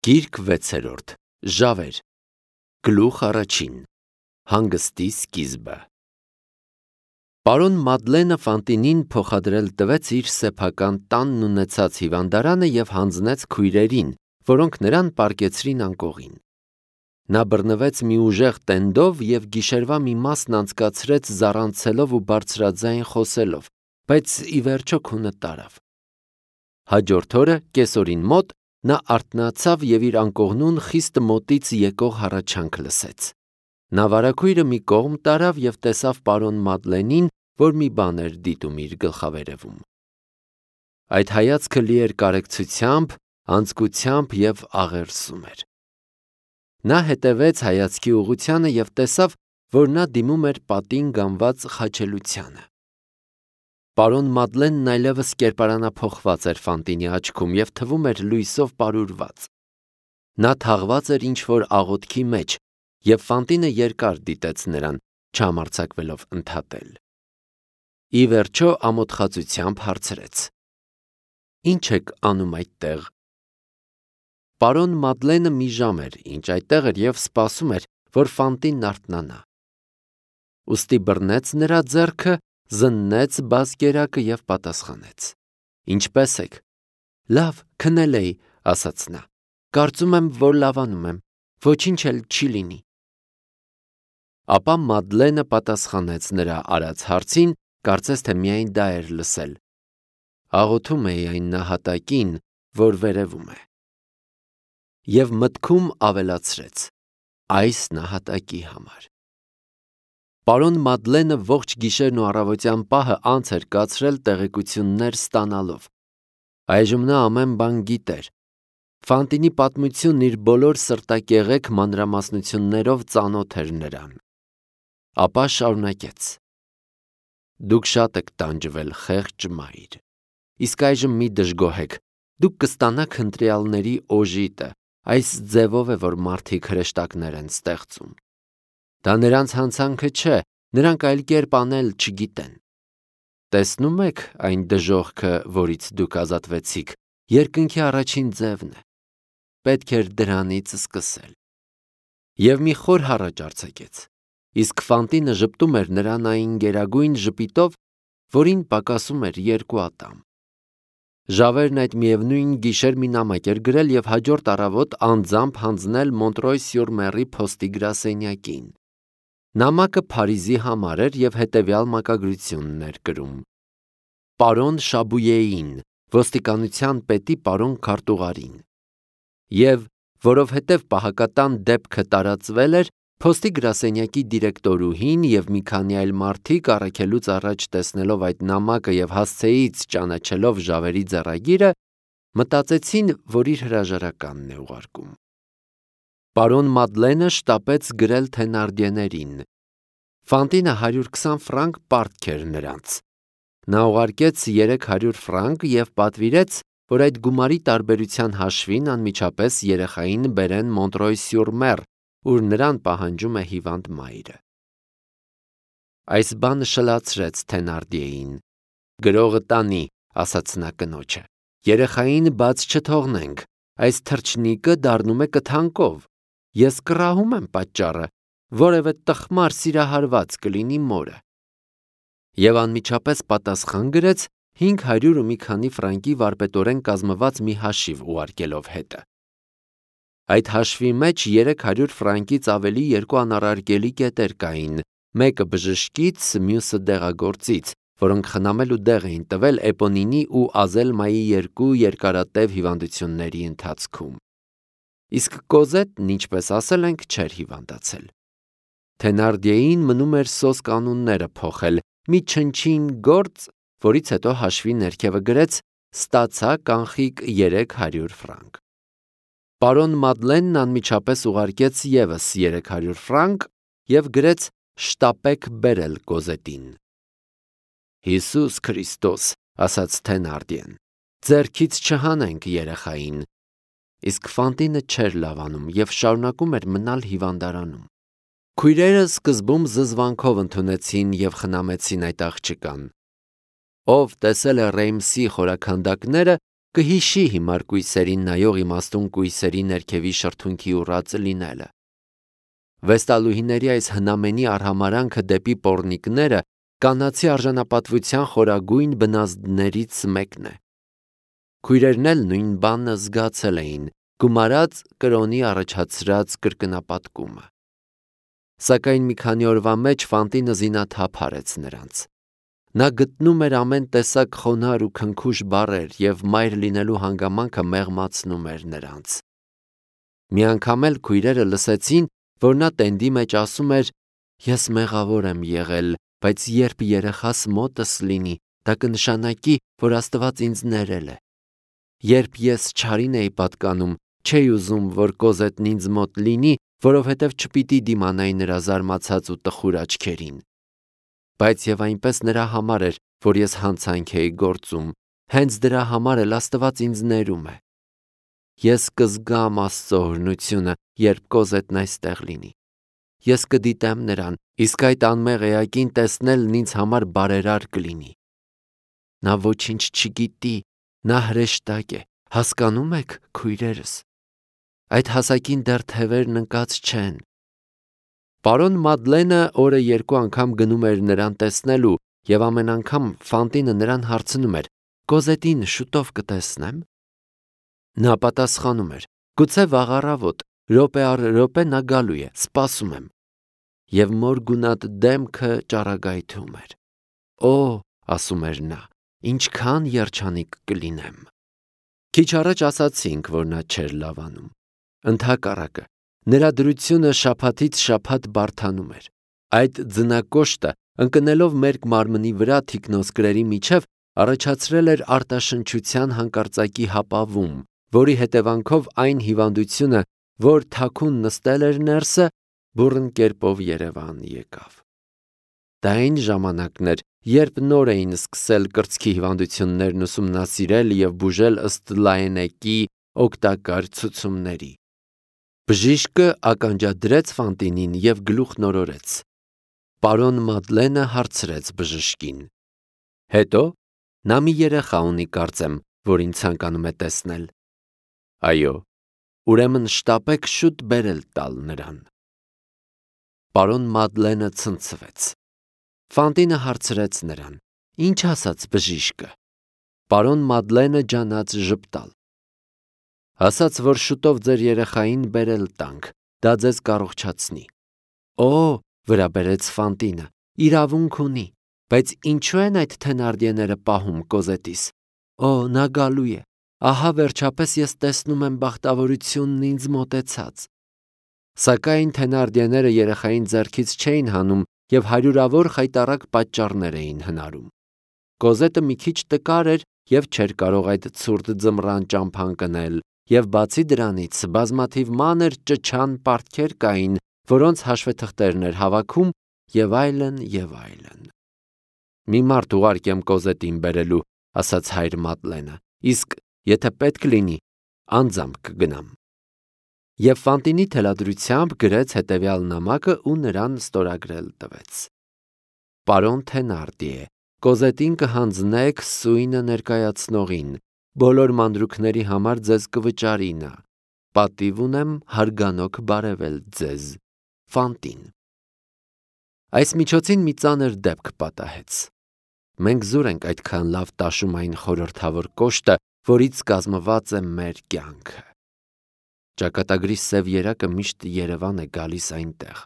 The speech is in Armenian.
Գիրք 6-րդ Ժավեր Գլուխ առաջին Հանգստի սկիզբը Պարոն Մադլենը Ֆանտինին փոխադրել տվեց իր սեփական տանն ունեցած հիվանդարանը և հանձնեց քույրերին, որոնք նրան պառկեցրին անկողին։ Նա բռնվեց մի ուժեղ տենդով և գիշերվա մի մասն անցկացրեց զառանցելով ու բարձրաձայն խոսելով, բայց ի վերջո քունը տարավ։ Հաջորդ օրը կեսօրին մոտ նա արթնացավ և իր անկողնուն խիստ մոտից եկող հառաչանք լսեց։ Նա վարագույրը մի կողմ տարավ և տեսավ պարոն Մադլենին, որ մի բան էր դիտում իր գլխավերևում։ Այդ հայացքը լի էր կարեկցությամբ, անձկությամբ և աղերսում էր։ Նա հետևեց հայացքի ուղղությանը և տեսավ, որ նա դիմում էր պատին գանված խաչելությանը։ Պարոն Մադլենն այլևս կերպարանափոխված էր Ֆանտինի աչքում և թվում էր լույսով պարուրված։ Նա թաղված էր ինչ-որ աղոթքի մեջ, և Ֆանտինը երկար դիտեց նրան, չհամարձակվելով ընդհատել։ Ի վերջո ամոթխածությամբ հարցրեց. «Ի՞նչ եք անում այդտեղ»։ Պարոն Մադլենը մի ժամ էր, ինչ այդտեղ էր և սպասում էր, որ Ֆանտինն արթնանա։ Ուստի բռնեց նրա ձեռքը, զննեց բազկերակը և պատասխանեց. «Ինչպե՞ս եք»։ «Լավ, քնել էի», ասաց նա։ «Կարծում եմ, որ լավանում եմ, ոչինչ էլ չի լինի»։ Ապա Մադլենը պատասխանեց նրա արած հարցին, կարծես թե միայն դա էր լսել. «Աղոթում էի այն նահատակին, որ վերևում է»։ Եվ մտքում ավելացրեց. «Այս նահատակի համար»։ Պարոն Մադլենը ողջ գիշերն ու առավոտյան պահը անց էր կացրել տեղեկություններ ստանալով։ Այժմ նա ամեն բան գիտեր։ Ֆանտինի պատմությունն իր բոլոր սրտակեղեք մանրամասնություններով ծանոթ էր նրան։ Ապա շարունակեց. «Դուք շատ եք տանջվել, խեղճ մայր։ Իսկ այժմ մի դժգոհեք, դուք կստանաք ընտրյալների օժիտը, այս ձևով է, որ մարդիկ հրեշտակներ են ստեղծում։ Դա նրանց հանցանքը չէ, նրանք այլ կերպ անել չգիտեն։ Տեսնում եք այն դժոխքը, որից դուք ազատվեցիք, երկնքի առաջին ձևն է։ Պետք էր դրանից սկսել»։ Եվ մի խոր հառաչ արձակեց, իսկ Ֆանտինը ժպտում էր նրան այն գերագույն ժպիտով, որին պակասում էր 2 ատամ։ Ժավերն այդ միևնույն գիշեր մի նամակ էր գրել և հաջորդ առավոտ անձամբ հանձնել Մոնտրոյ-սյուր-Մերի փոստի գրասենյակին։ Նամակը Փարիզի համար էր և հետևյալ մակագրությունն էր կրում. Պարոն Շաբույեին, ոստիկանության պետի պարոն քարտուղարին։ Եվ, որովհետև պահակատան դեպքը տարածվել էր, փոստի գրասենյակի դիրեկտորուհին և մի քանի այլ մարդիկ առաքելուց առաջ տեսնելով այդ նամակը և հասցեից ճանաչելով Ժավերի ձեռագիրը, մտածեցին, որ իր հրաժարականն է ուղարկում։ Պարոն Մադլենը շտապեց գրել Թենարդիեներին։ Ֆանտինը 120 ֆրանկ պարտք էր նրանց։ Նա ուղարկեց 300 ֆրանկ և պատվիրեց, որ այդ գումարի տարբերության հաշվին անմիջապես երեխային բերեն Մոնտրոյ-սյուր-Մեր, ուր նրան պահանջում է հիվանդ մայրը։ Այս բանը շլացրեց Թենարդիեին։ «Գրողը տանի», ասաց նա կնոջը։ «Երեխային բաց չթողնենք, այս թռչնիկը դառնում է կթանկով։ Ես կռահում եմ պատճառը, որևէ տխմար սիրահարված կլինի մորը»։ Եվ անմիջապես պատասխան գրեց 500 ու մի քանի ֆրանկի վարպետորեն կազմված մի հաշիվ ուղարկելով հետը։ Այդ հաշվի մեջ 300 ֆրանկից ավելի 2 անառարկելի կետեր կային, մեկը բժշկից, մյուսը դեղագործից, որոնք խնամելու դեղ էին տվել Էպոնինի ու Ազելմայի 2 երկարատև հիվանդությունների ընթացքում։ Իսկ Կոզետն, ինչպես ասել ենք, չէր հիվանդացել։ Թենարդիեին մնում էր սոսկ անունները փոխել, մի չնչին գործ, որից հետո հաշվի ներքևը գրեց. «Ստացա կանխիկ 300 ֆրանկ»։ Պարոն Մադլենն անմիջապես ուղարկեց ևս 300 ֆրանկ և գրեց. «Շտապեք բերել Կոզետին»։ «Հիսուս Քրիստոս», ասաց Թենարդիեն, «ձեռքից չհանենք երեխային»։ Իսկ Ֆանտինը չէր լավանում և շարունակում էր մնալ հիվանդարանում։ Քույրերը սկզբում զզվանքով ընդունեցին և խնամեցին այդ աղջկան։ Ով տեսել է Ռեյմսի խորաքանդակները, կհիշի հիմար կույսերին նայող իմաստուն կույսերի ներքևի շրթունքի ուռածը լինելը։ Վեստալուհիների այս հնամենի արհամարանքը դեպի պոռնիկները կանացի արժանապատվության խորագույն բնազդներից մեկն է։ Քույրերն էլ նույն բանը զգացել էին, գումարած կրոնի առաջացրած կրկնապատկումը։ Սակայն մի քանի օրվա մեջ Ֆանտինը զինաթափ արեց նրանց։ Նա գտնում էր ամեն տեսակ խոնարհ ու քնքուշ բառեր և մայր լինելու հանգամանքը մեղմացնում էր նրանց։ Մի անգամ էլ քույրերը լսեցին, որ նա տենդի մեջ ասում էր. «Ես մեղավոր եմ եղել, բայց երբ երեխաս մոտս լինի, դա կնշանակի, որ Աստված ինձ ներել է։ Երբ ես չարին էի պատկանում, չէի ուզում, որ Կոզետն ինձ մոտ լինի, որովհետև չպիտի դիմանայի նրա զարմացած ու տխուր աչքերին։ Բայց և այնպես նրա համար էր, որ ես հանցանք էի գործում, հենց դրա համար էլ Աստված ինձ ներում է։ Ես կզգամ Աստծո օրհնությունը, երբ Կոզետն այստեղ լինի։ Ես կդիտեմ նրան, իսկ այդ անմեղ էակին տեսնելն ինձ համար բարերար կլինի։ Նա ոչինչ չգիտի, նա հրեշտակ է, հասկանում եք, քույրերս։ Այդ հասակին դեռ թևերն ընկած չեն»։ Պարոն Մադլենը օրը 2 անգամ գնում էր նրան տեսնելու և ամեն անգամ Ֆանտինը նրան հարցնում էր. «Կոզետին շուտով կտեսնեմ»։ Նա պատասխանում էր. «Գուցե վաղ առավոտ, րոպե առ րոպե նա գալու է, սպասում եմ»։ Եվ մոր գունատ դեմքը ճառագայթում էր։ «Օ», ասում էր նա, «ինչքան երջանիկ կլինեմ»։ Քիչ առաջ ասացինք, որ նա չէր լավանում։ Ընդհակառակը, նրա դրությունը շաբաթից շաբաթ բարդանում էր։ Այդ ձնակոշտը, ընկնելով մերկ մարմնի վրա թիկնոսկրերի միջև, առաջացրել էր արտաշնչության հանկարծակի հապավում, որի հետևանքով այն հիվանդությունը, որ թաքուն նստել էր ներսը, բուռն կերպով երևան եկավ։ Դա այն ժամանակն էր, երբ նոր էին սկսել կրծքի հիվանդություններն ուսումնասիրել և բուժել ըստ Լաենեկի օգտակար ցուցումների։ Բժիշկը ականջադրեց Ֆանտինին և գլուխն օրորեց։ Պարոն Մադլենը հարցրեց բժշկին. «Հետո, նա մի երեխա ունի, կարծեմ, որ ինձ ցանկանում է տեսնել»։ «Այո, ուրեմն շտապեք շուտ բերել տալ նրան»։ Պարոն Մադլենը ցնցվեց։ Ֆանտինը հարցրեց նրան. «Ինչ ասաց բժիշկը»։ Պարոն Մադլենը ջանաց ժպտալ։ «Ասաց, որ շուտով ձեր երեխային բերել տանք, դա ձեզ կառողջացնի»։ «Օ», վրա բերեց Ֆանտինը, «իրավունք ունի, բայց ինչու են այդ թենարդիեները պահում Կոզետիս։ Օ, նա գալու է, ահա վերջապես ես տեսնում եմ բախտավորությունն ինձ մոտեցած»։ Սակայն թենարդիեները երեխային ձեռքից չէին հանում և հարյուրավոր խայտառակ պատճառներ էին հնարում։ Կոզետը մի քիչ տկար էր և չէր կարող այդ ցուրտ ձմռան ճամփան կնել, և բացի դրանից բազմաթիվ մանր ճչան պարտքեր կային, որոնց հաշվետղթերն էր հավաքում, և այլն, և այլն։ «Մի մարդ ուղարկեմ Կոզետին բերելու», ասաց հայր Մադլենը, «իսկ եթե պետք լինի, անձամբ կգնամ»։ Եվ Ֆանտինի թելադրությամբ գրեց հետևյալ նամակը ու նրան ստորագրել տվեց. «Պարոն Թենարդիե, Կոզետին կհանձնեք սույնը ներկայացնողին, բոլոր մանրուքների համար ձեզ կվճարի նա։ Պատիվ ունեմ հարգանոք բարևել ձեզ, Ֆանտին»։ Այս միջոցին մի ծանր դեպք պատահեց։ Մենք զուր ենք այդքան լավ տաշում այն խորհրդավոր կոշտը, որից կազմված է մեր կյանքը։ Ճակատագրի սև երակը միշտ Երևան է գալիս այնտեղ,